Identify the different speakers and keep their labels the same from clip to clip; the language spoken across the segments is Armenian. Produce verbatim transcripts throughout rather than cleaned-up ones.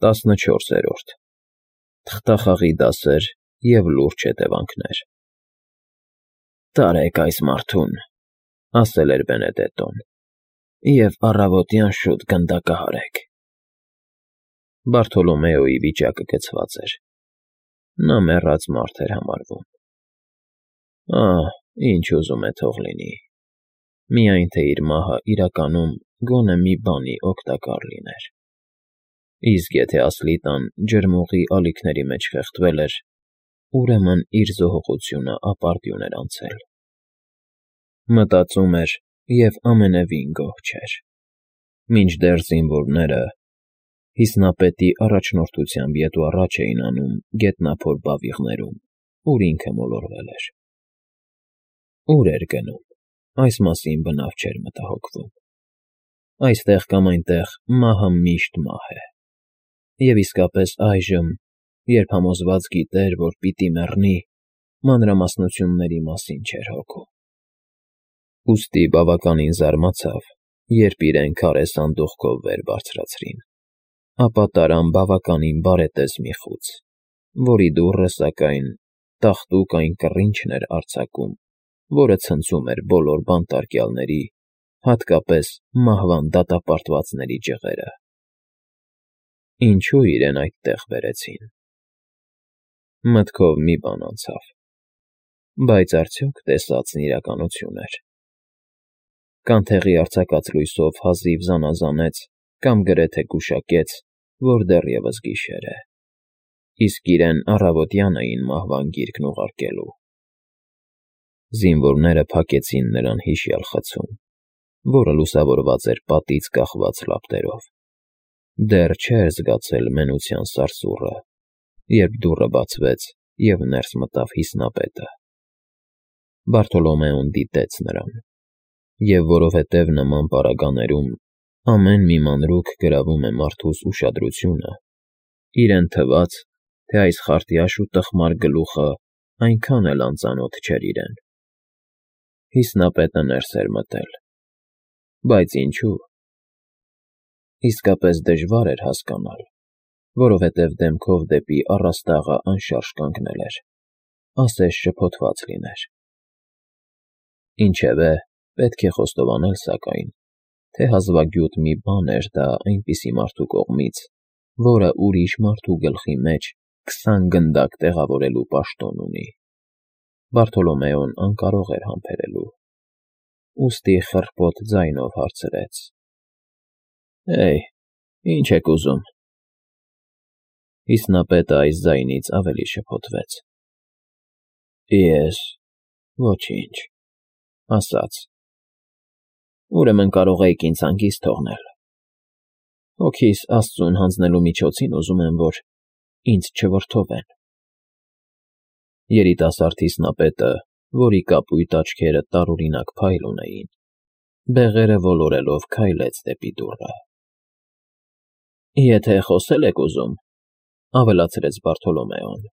Speaker 1: տասնչորսերորդ Թղթախաղի դասեր և լուրջ հետևանքներ։ «Տարեք այս մարդուն,֊ ասել էր Բենեդետտոն,֊ և առավոտյան շուտ գնդակահարեք»։ Բարթոլոմեոյի վիճակը կցված էր. նա մեռած մարդ էր համարվում։ Ահ, ինչ ուզում է թող լինի, միայն թե իր մահը իրականում գոնե մի բանի օգտակար լիներ։ Իսկ եթե Ասլիտան ջրմուղի ալիքների մեջ խեղդվել էր, ուրեմն իր զոհողությունը ապարդյուն էր անցել։ Մտածում էր և ամենևին գոհ չէր, մինչդեռ զինվորները հիսնապետի առաջնորդությամբ ետ ու առաջ էին անում գետնափոր բավիղներում, ուր ինքը մոլորվել էր։ Ո՞ւր էր գնում, այս մասին բնավ չէր մտահոգվում։ Այստեղ կամ այնտեղ մահը միշտ մահ է, և իսկապես այժմ, երբ համոզված գիտեր, որ պիտի մեռնի, մանրամասնությունների մասին չէր հոգում։ Ուստի բավականին զարմացավ, երբ իրեն քարե սանդուղքով վեր բարձրացրին, ապա տարան բավականին բարետես մի խուց, որի դուռը, սակայն, տաղտուկ այն կռինչն էր արձակում, որը ցնցում էր բոլոր բանտարկյալների, հատկապես մահվան դատապարտվածների ջղերը։ Ինչո՞ւ իրեն այդտեղ բերեցին։ Մտքով մի բան անցավ, բայց արդյոք տեսածն իրականություն էր։ Կանթեղի արձակած լույսով հազիվ զանազանեց կամ գրեթե գուշակեց, որ դեռևս գիշեր է, իսկ իրեն առավոտյան էին մահվան գիրկն ուղարկելու։ Զինվորները փակեցին նրան հիշյալ խցում, որը լուսավորված էր պատից կախված լապտերով։ Դեռ չէր զգացել մենության սարսուռը, երբ դուռը բացվեց և ներս մտավ հիսնապետը։ Բարթոլոմեոն դիտեց նրան, և որովհետև նման պարագաներում ամեն մի մանրուք գրավում է մարդուս ուշադրությունը, իրեն թվաց, թե այս խարտյաշ ու տխմար գլուխը այնքան էլ անծանոթ չէր իրեն։ Հիսնապետը ներս էր մտել։ Բայց ինչո՞ւ։ Իսկապես դժվար էր հասկանալ, որովհետև դեմքով դեպի առաստաղը անշարժ կանգնել էր, ասես շփոթված լիներ։ Ինչևէ, պետք է խոստովանել, սակայն, թե հազվագյուտ մի բան էր դա այնպիսի մարդու կողմից, որը ուրիշ մարդու գլխի մեջ քսան գնդակ տեղավորելու պաշտոն ունի։ Բարթոլոմեոն անկարող էր համբերելու, ուստի խռպոտ ձայնով հարցրեց. «Հե՜յ, ի՞նչ եք ուզում»։ Հիսնապետը այս ձայնից ավելի շփոթվեց. «Ես… ոչինչ…֊ ասաց։ Ուրեմն կարող էիք ինձ հանգիստ թողնել։ Հոգիս Աստծուն հանձնելու միջոցին ուզում եմ, որ ինձ չվրդովեն»։ Երիտասարդ հիսնապետը, որի կապույտ աչքերը տարօրինակ փայլ ունեին, բեղերը ոլորելով քայլեց դեպի դուռը։ «Եթե խոսել եք ուզում,֊ ավելացրեց Բարթոլոմեոն,֊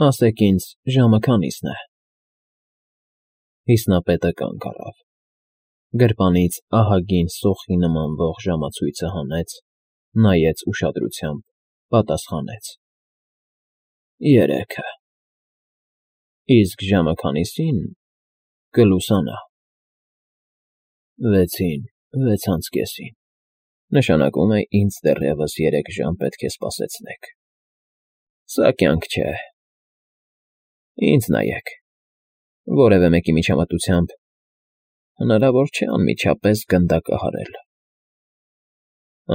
Speaker 1: ասեք ինձ ժամը քանիսն է»։ Հիսնապետը կանգ առավ, գրպանից ահագին սոխի նմանվող ժամացույցը հանեց, նայեց ուշադրությամբ, պատասխանեց. «Երեքը»։ Իսկ ժամը քանիսին կլուսանա։ Վեցին, վեց անց կեսին, նշանակում է ինձ դեռևս երեք ժամ պետք է սպասեցնեք։ Սա կյանք չէ։ Ինձ նայեք, որևէ մեկի միջամտությամբ հնարավոր չէ անմիջապես գնդակահարել։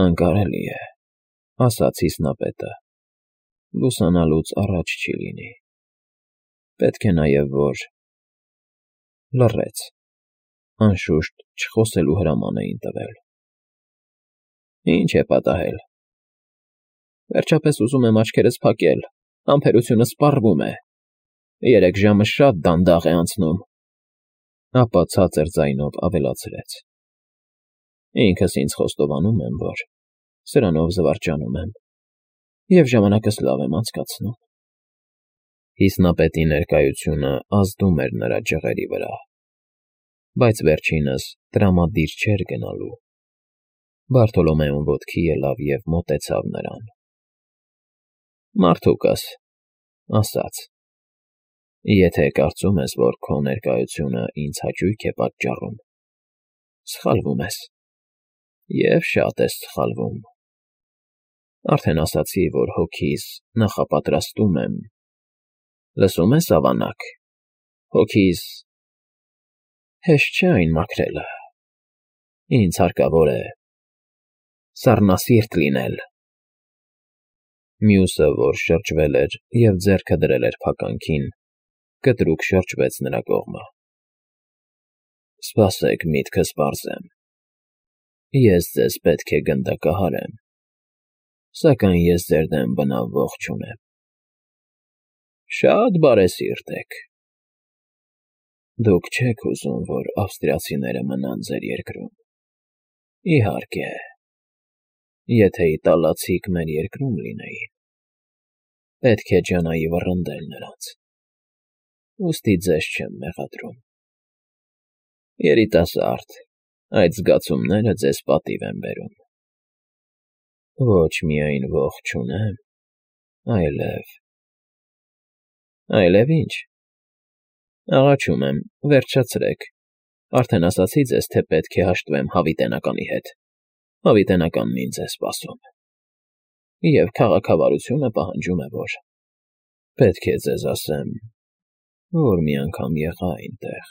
Speaker 1: Անկարելի է, ասաց հիսնապետը, լուսանալուց առաջ չի լինի։ Պետք է նաև, որ… Լռեց, անշուշտ չխոսելու հրաման էին տվել։ Ի՞նչ է պատահել։ Վերջապես ուզում եմ աչքերս փակել, համբերությունս սպառվում է։ Երեք ժամը շատ դանդաղ է անցնում։ Ապա ցածր ձայնով ավելացրեց. Ինքս ինձ խոստովանում եմ, որ սրանով զվարճանում եմ և ժամանակս լավ եմ անցկացնում։ Հիսնապետի ներկայությունը ազդում էր նրա ջղերի վրա, բայց վերջինս տրամադիր չէր գնալու։ Բարտոլոմեոն ոտքի ելավ և մոտեցավ նրան։ ֊ Մարդուկս,֊ ասաց,֊ եթե կարծում ես, որ քո ներկայությունը ինձ հաճույք է պատճառում, սխալվում ես, և շատ ես սխալվում. արդեն ասացի, որ հոգիս նախապատրաստում եմ, լսում ես, ավանակ, հոգիս… հեշտ չէ այն մաքրելը, ինձ հարկավոր է սառնասիրտ լինել… Մյուսը, որ շրջվել էր և ձեռքը դրել էր փականքին, կտրուկ շրջվեց նրա կողմը։ ֊ Սպասեք, միտքս պարզեմ. ես ձեզ պետք է գնդակահարեմ, սակայն ես ձեր դեմ բնավ ոխ չունեմ։ ֊ Շատ բարեսիրտ եք… Դուք չեք ուզում, որ ավստրիացիները մնան ձեր երկրում… Իհարկե, եթե իտալացիք մեր երկրում լինեին, պետք է ջանայի վռնդել նրանց, ուստի ձեզ չեմ մեղադրում… Երիտասարդ, այդ զգացումները ձեզ պատիվ են բերում… Ոչ միայն ոխ չունեմ, այլև… Այլև ի՞նչ… Աղաչում եմ, վերջացրեք, արդեն ասացի ձեզ, թե պետք է հաշտվեմ հավիտենականի հետ, հավիտենականն ինձ է սպասում… Եվ քաղաքավարությունը պահանջում է, որ… Պետք է ձեզ ասեմ, որ մի անգամ եղա այնտեղ…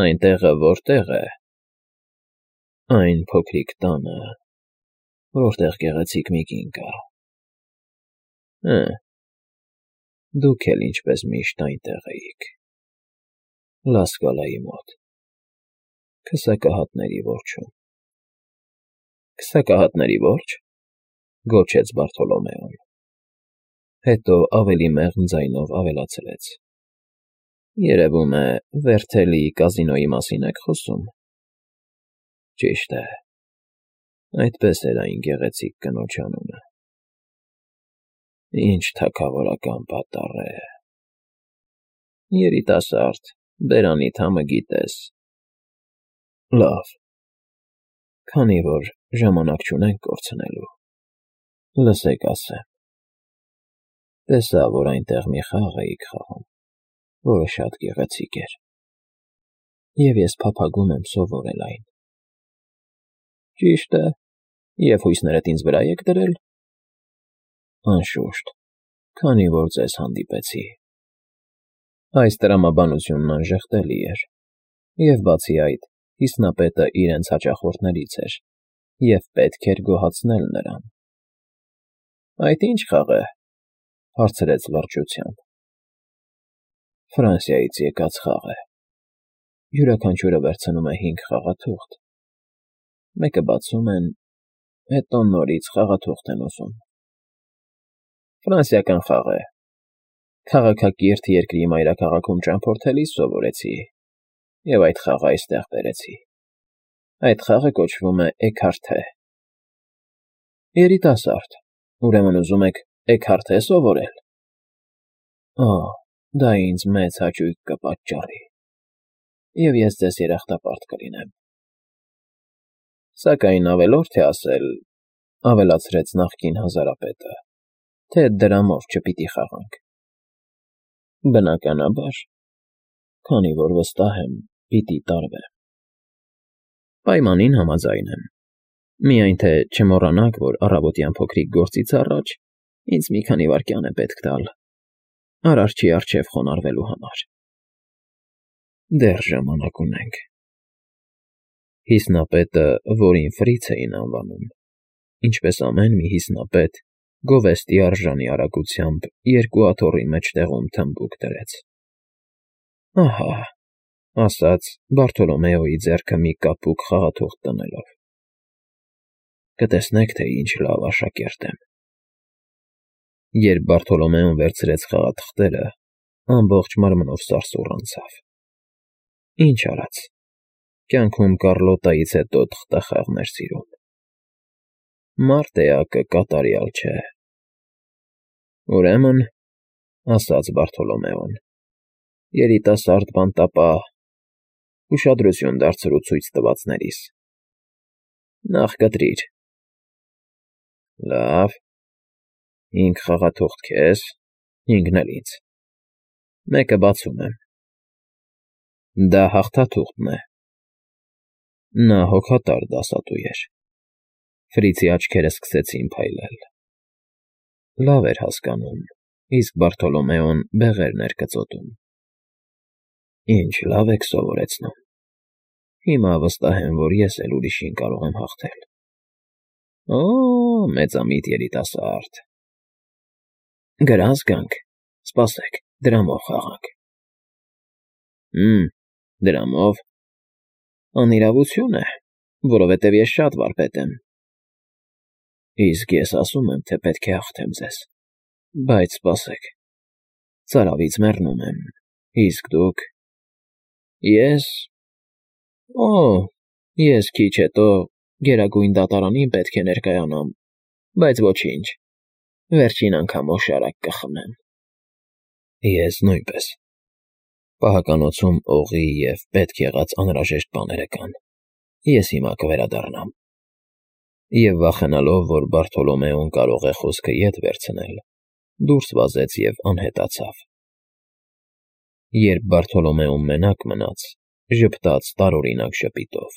Speaker 1: Այն տեղը որտե՞ղ է… Այն փոքրիկ տանը, որտեղ գեղեցիկ մի կին կա… Հը՜, դուք էլ ինչպես միշտ այնտեղ էիք… Լա Սկալայի մոտ, քսակահատների որջում… ֊ Քսակահատների ո՞րջ,֊ գոչեց Բարտոլոմեոն, հետո ավելի մեղմ ձայնով ավելացրեց. երևում է, Վերթելի կազինոյի մասին եք խոսում… Ճիշտ է, այդպես էր այն գեղեցիկ կնոջ անունը… Ինչ թագավորական պատառ է… Երիտասարդ, բերանիդ համը գիտես… Լավ, քանի որ ժամանակ չունենք կորցնելու, լսեք ասեմ… Տեսա, որ այնտեղ մի խաղ էիք խաղում, որը շատ գեղեցիկ էր, և ես փափագում եմ սովորել այն… Ճիշտ է, և հույսներդ ինձ վրա եք դրել… Անշուշտ, քանի որ ձեզ հանդիպեցի… Այս տրամաբանությունն անժխտելի էր, և բացի այդ, հիմնապետը իրենց հաճախորդներից էր, և պետք էր գոհացնել նրան… ֊ Այդ ի՞նչ խաղ է,֊ հարցրեց լրջությամբ։ ֊ Ֆրանսիայից եկած խաղ է… Յուրաքանչյուրը վերցնում է հինգ խաղաթուղթ, մեկը բացում են, հետո նորից խաղաթուղթ են ուզում… Ֆրանսիական խաղ է… Քաղաքակիրթ երկրի մայրաքաղաքում ճամփորդելիս սովորեցի և այդ խաղը այստեղ բերեցի… Այդ խաղը կոչվում է էքարթե… ֊ Երիտասարդ, ուրեմն ուզում եք էքարթե սովորել… Օ՜, դա ինձ մեծ հաճույք կպատճառի, և ես ձեզ երախտապարտ կլինեմ… Սակայն ավելորդ է ասել,֊ ավելացրեց նախկին հազարապետը,֊ թե դրամով չպիտի խաղանք… Բնականաբար, քանի որ վստահ եմ, պիտի տարվեմ… Պայմանին համաձայն եմ, միայն թե չմոռանաք, որ առավոտյան փոքրիկ գործից առաջ ինձ մի քանի վայրկյան է պետք տալ Արարչի առջև խոնարհվելու համար… Դեռ ժամանակ ունենք… Հիմնապետը, որին Ֆրից էին անվանում, ինչպես ամեն մի հիմնապետ, գովեստի արժանի արագությամբ երկու աթոռի մեջտեղում թմբուկ դրեց… Ահա,֊ ասաց Բարտոլոմեոյի ձեռքը մի կապուկ խաղաթուղթ դնելով,֊ կտեսնեք, թե ինչ լավ աշակերտ եմ… Երբ Բարտոլոմեոն վերցրեց խաղաթղթերը, ամբողջ մարմնով սարսուռ անցավ… Ինչ արած, կյանքում Կառլոտայից հետո թղթախաղն էր սիրում… Մարդ էակը կատարյալ չէ… Ուրեմն,֊ ասաց Բարտոլոմեոն,֊ երիտասարդ բանտապահ, ուշադրություն դարձրու ցույց տվածներիս… Նախ կտրիր։ Լավ, հինգ խաղաթուղթ քեզ, հինգն էլ ինձ, մեկը բացում եմ։ Դա հաղթաթուղթն է։ Նա հոգատար դասատու էր։ Ֆրիցի աչքերը սկսեցին փայլել։ Լավ էր հասկանում, իսկ Բարթոլոմեոն բեղերն էր կծոտում։ Ինչ լավ եք սովորեցնում։ Հիմա վստահ եմ, որ ես էլ ուրիշին կարող եմ հաղթել։ Օ՜, մեծամիտ երիտասարդ։ Գրանց գանք, սպասեք, դրամով խաղանք։ Հմ, դրամով։ Անիրավություն է, որովհետև ես շատ վարպետ եմ։ Իսկ ես ասում եմ, թե պետք է հաղթեմ ձեզ։ Բայց սպասեք, ծարավից մեռնում եմ, իսկ դուք… Ես… Օ, ես քիչ հետո Գերագույն Դատարանին պետք է ներկայանամ, բայց ոչինչ, վերջին անգամ օշարակ կխմեմ։ Ես նույնպես։ Պահականոցում օղի և պետք եղած անհրաժեշտ բաները կան, ես հիմա կվերադառնամ։ Եվ վախենալով, որ Բարթոլոմեոն կարող է խոսքը ետ վերցնել, դուրս վազեց և անհետացավ։ Երբ Բարթոլոմեոն մենակ մնաց, ժպտաց տարօրինակ ժպիտով։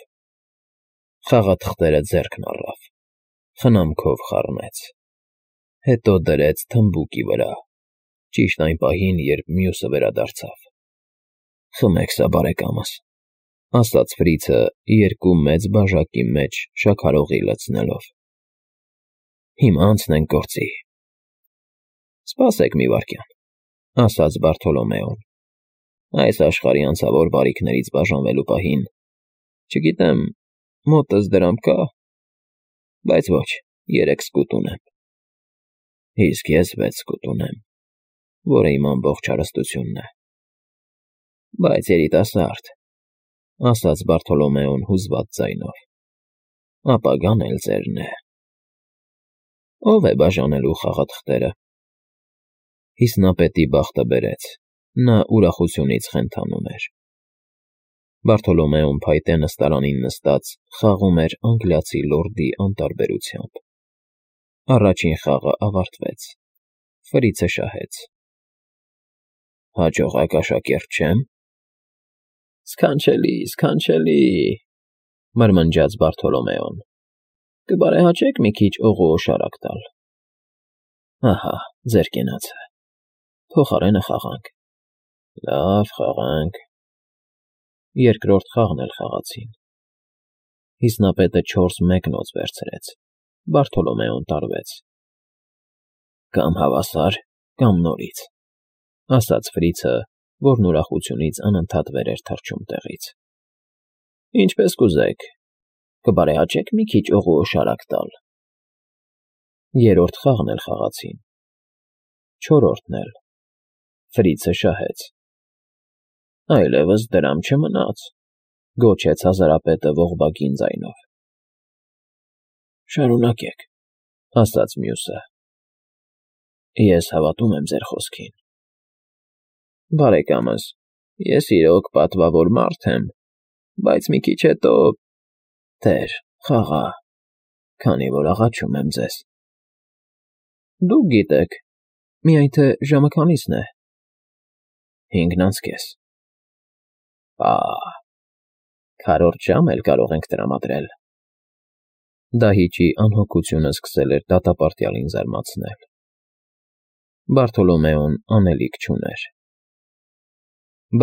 Speaker 1: Խաղաթղթերը ձեռքն առավ, խնամքով խառնեց, հետո դրեց թմբուկի վրա, ճիշտ այն պահին, երբ մյուսը վերադարձավ։ Խմեք սա, բարեկամս, ասաց Ֆրիցը երկու մեծ բաժակի մեջ շաքարօղի լցնելով։ Հիմա անցնենք գործի։ Սպասեք մի վայրկյան, ասաց Բարթոլոմեոն։ Այս աշխարհի անցավոր բարիքներից բաժանվելու պահին, չգիտեմ, մոտս դրամ կա, բայց ոչ, երեք սկուտ ունեմ։ Իսկ ես վեց սկուտ ունեմ, որը իմ ամբողջ հարստությունն է։ Բայց երիտասարդ, ասաց Բարթոլոմեոն հուզված ձայնով, ապագան էլ ձերն է։ Ո՞վ է բաժանելու խաղաթղթերը։ Հիսնապետի բախտը բերեց, նա ուրախությունից խենթանում էր։ Բարթոլոմեոն փայտե նստարանին նստած խաղում էր անգլիացի լորդի անտարբերությամբ։ Առաջին խաղը ավարտվեց, Ֆրիցը շահեց։ Հաջողակ աշակերտ չե՞մ։ Սքանչելի, սքանչելի, մրմնջաց Բարթոլոմեոն։ Կբարեհաճեք մի քիչ օղու օշարակ տալ։ Ահա, ձեր կենացը։ Փոխարենը խաղանք։ Լավ, խաղանք։ Երկրորդ խաղն էլ խաղացին։ Հիսնապետը չորս մեկնոց վերցրեց, Բարթոլոմեոն տարվեց։ Կամ հավասար, կամ նորից, ասաց Ֆրիցը, որն ուրախությունից անընդհատ վեր էր թռչում տեղից։ Ինչպես կուզեք, կբարեհաճեք մի քիչ օղու օշարակ տալ։ Երրորդ խաղն էլ խաղացին։ Չորրորդն էլ։ Ֆրիցը շահեց։ Այլևս դրամ չմնաց, գոչեց հազարապետը ողբագին ձայնով։ Շարունակեք, ասաց մյուսը։ Ես հավատում եմ ձեր խոսքին։ Բարեկամս, ես իրոք պատվավոր մարդ եմ, բայց մի քիչ հետո… Տեր, խաղա, քանի որ աղաչում եմ ձեզ։ Դուք գիտեք, միայն թե ժամը քանիսն է։ Հինգն անց կես։ Պաաա՜, քառորդ ժամ էլ կարող ենք տրամադրել։ Դահիճի անհոգությունը սկսել էր դատապարտյալին զարմացնել։ Բարթոլոմեոն անելիք չուներ։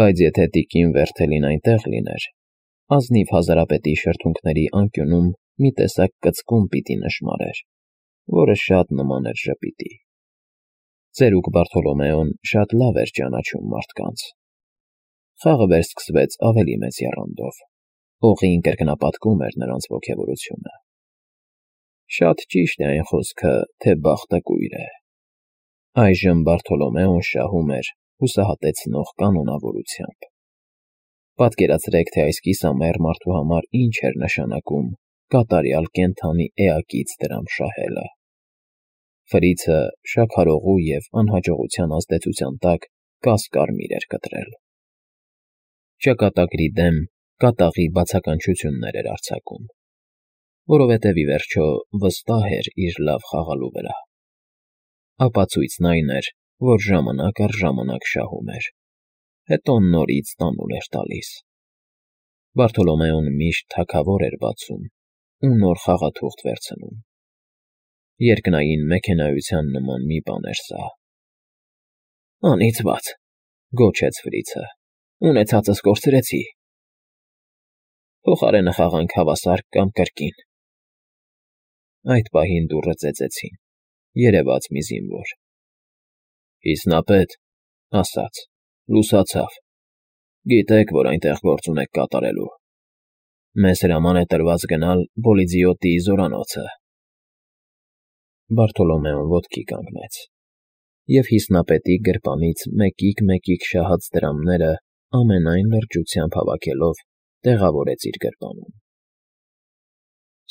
Speaker 1: Բայց եթե տիկին Վերթելին այնտեղ լիներ, ազնիվ հազարապետի շրթունքների անկյունում մի տեսակ կծկում պիտի նշմարեր, որը շատ նման էր ժպիտի։ Ծերուկ Բարթոլոմեոն շատ լավ էր ճանաչում մարդկանց։ Խաղը վերսկսվեց ավելի մեծ եռանդով, օղին կրկնապատկում էր նրանց ոգևորությունը։ Շատ ճիշտ է այն խոսքը, թե բախտը կույր է։ Այժմ Բարթոլոմեոն շահում էր հուսահատեցնող կանոնավորությամբ։ Պատկերացրեք, թե այս կիսամեռ մարդու համար ինչ էր նշանակում կատարյալ կենդանի էակից դրամ շահելը։ Ֆրիցը շաքարօղու և անհաջողության ազդեցության տակ կաս֊կարմիր էր կտրել։ Ճակատագրի դեմ կատաղի բացականչություններ էր արձակում։ որովհետև ի վերջո վստահ էր իր լավ խաղալու վրա։ Ապացույցն այն էր, որ ժամանակ առ ժամանակ շահում էր, հետո նորից տանուլ էր տալիս։ Բարթոլոմեոն միշտ թագավոր էր բացում ու նոր խաղաթուղթ վերցնում։ Երկնային մեքենայության նման մի բան էր սա։ «Անիծված,» գոչեց Ֆրիցը, «ունեցածս կորցրեցի։ Փոխարենը խաղանք հավասար կամ կրկին»։ Այդ պահին դուռը ծեծեցին, երևաց մի զինվոր։ «Հիսնապետ,» ասաց, «լուսացավ։ Գիտեք, որ այնտեղ գործ ունեք կատարելու։ Մեզ հրաման է տրված գնալ Բոլիձիոտիի զորանոցը»։ Բարթոլոմեոն ոտքի կանգնեց, և հիսնապետի գրպանից մեկիկ-մեկիկ շահած դրամները ամենայն լրջությամբ հավաքելով տեղավորեց իր գրպանում։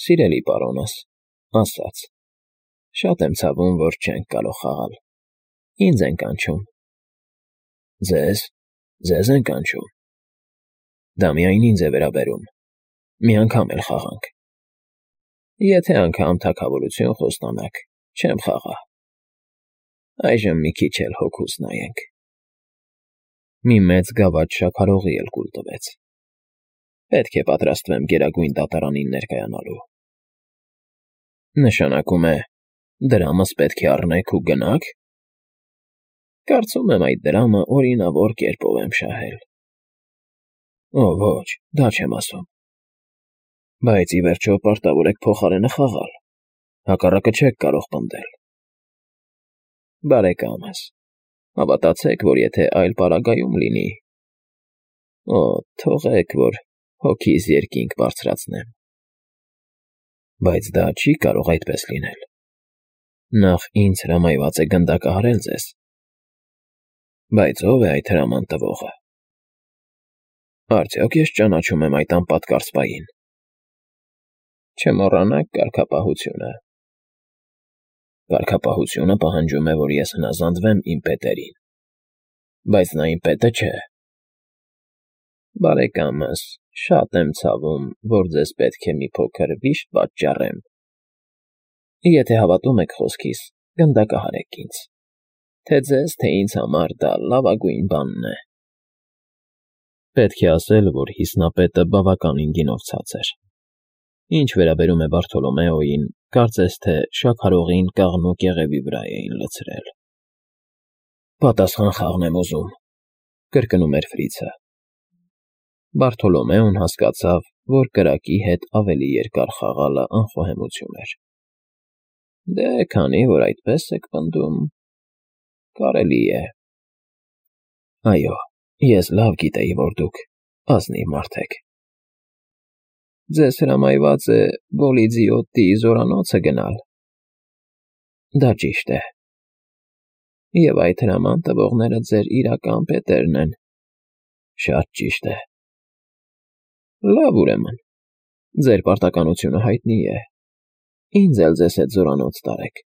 Speaker 1: «Սիրելի պարոնս,» ասաց, «շատ եմ ցավում, որ չենք կարող խաղալ։ Ինձ են կանչում»։ «Ձե՞զ, ձեզ են կանչում։ Դա միայն ինձ է վերաբերում, մի անգամ էլ խաղանք։ Եթե անգամ թագավորություն խոստանաք, չեմ խաղա։ Այժմ մի քիչ էլ հոգուս նայենք»։ Մի մեծ գավաթ շաքարողի էլ կուլ տվեց։ «Պետք է պատրաստվեմ Գերագույն դատարանին ներկայանալու»։ «Նշանակում է, դրամս պետք է առնեք ու գնա՞ք»։ «Կարծում եմ այդ դրամը օրինավոր կերպով եմ շահել»։ «Օ, ոչ, դա չեմ ասում»։ «Բայց ի վերջո պարտավոր եք փոխարենը խաղալ, հակառակը չեք կարող պնդել»։ «Բարեկամս, հավատացեք, որ եթե այլ պարագայում լինի… Օ, թողեք, որ հոգիս երկինք բարձրացնեմ»։ «Բայց դա չի կարող այդպես լինել։ Նախ ինձ հրամայված է գնդակահարել ձեզ»։ «Բայց ո՞վ է այդ հրաման տվողը»։ «Արդյոք ես ճանաչում եմ այդ անպատկառ սպային»։ «Չմոռանաք կարգապահությունը»։ «Կարգապահությունը պահանջում է, որ ես հնազանդվեմ իմ պետերին, բայց նա իմ պետը չէ»։ «Բարեկամս, շատ եմ ցավում, որ ձեզ պետք է մի փոքր վիշտ պատճառեմ։ Եթե հավատում եք խոսքիս, գնդակահարեք ինձ, թե ձեզ, թե ինձ համար դա լավագույն բանն է»։ Պետք է ասել, որ հիսնապետը բավականին գինովցած էր։ Ինչ վերաբերում է Բարթոլոմեոյին, կարծես թե շաքարողին կաղնու կեղևի վրա էին լցրել։ «Պատասխան խաղն եմ ուզում», կրկնում էր Ֆրիցը։ Բարթոլոմեոն հասկացավ, որ կրակի հետ ավելի երկար խաղալը անխոհեմություն էր։ «Դե, քանի որ այդպես եք պնդում, կարելի է»։ «Այո, ես լավ գիտեի, որ դուք ազնիվ մարդ եք»։ «Ձեզ հրամայված է Բոլիձիոտիի զորանոցը գնալ»։ «Դա ճիշտ է»։ «Եվ այդ հրաման տվողները ձեր իրական պետերն են»։ «Շատ ճիշտ է»։ «Լավ, ուրեմն, ձեր պարտականությունը հայտնի է։ Ինձ էլ ձեզ հետ զորանոց տարեք,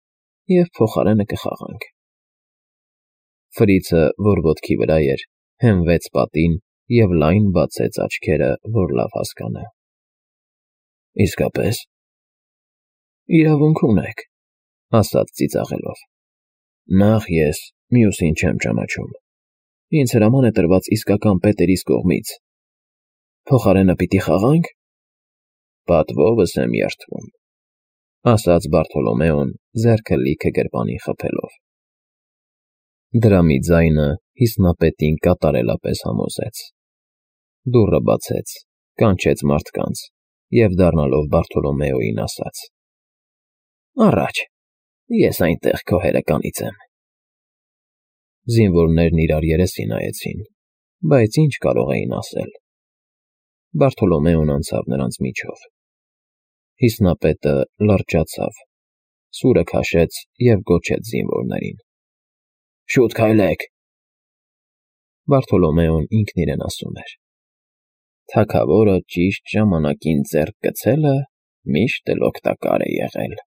Speaker 1: և փոխարենը կխաղանք»։ Ֆրիցը, որ ոտքի վրա էր, հենվեց պատին և լայն բացեց աչքերը, որ լավ հասկանա։ «Իսկապես»։ «Իրավունք ունեք», ասաց ծիծաղելով։ «Նախ ես մյուսին չեմ ճանաչում։ Ինձ հրաման է տրված իսկական պետերիս կողմից։ Փոխարենը պիտի խաղա՞նք»։ «Պատվովս եմ երդվում», ասաց Բարթոլոմեոն, ձեռքը լիքը գրպանին խփելով։ Դրամի ձայնը հիսնապետին կատարելապես համոզեց։ Դուռը բացեց, կանչեց մարդկանց և, դառնալով Բարթոլոմեոյին, ասաց. «Առաջ, ես այնտեղ քո հերը կանիծեմ»։ Զինվորներն իրար երեսի նայեցին, բայց ինչ կարող էին ասել։ Բարթոլոմեոն անցավ նրանց միջով։ Հիսնապետը լրջացավ, սուրը քաշեց և գոչեց զինվորներին. «Շուտ քայլեք»։ Բարթոլոմեոն ինքն իրեն ասում էր. «Թագավորը ճիշտ ժամանակին ձեռք գցելը միշտ էլ օգտակար է եղել»։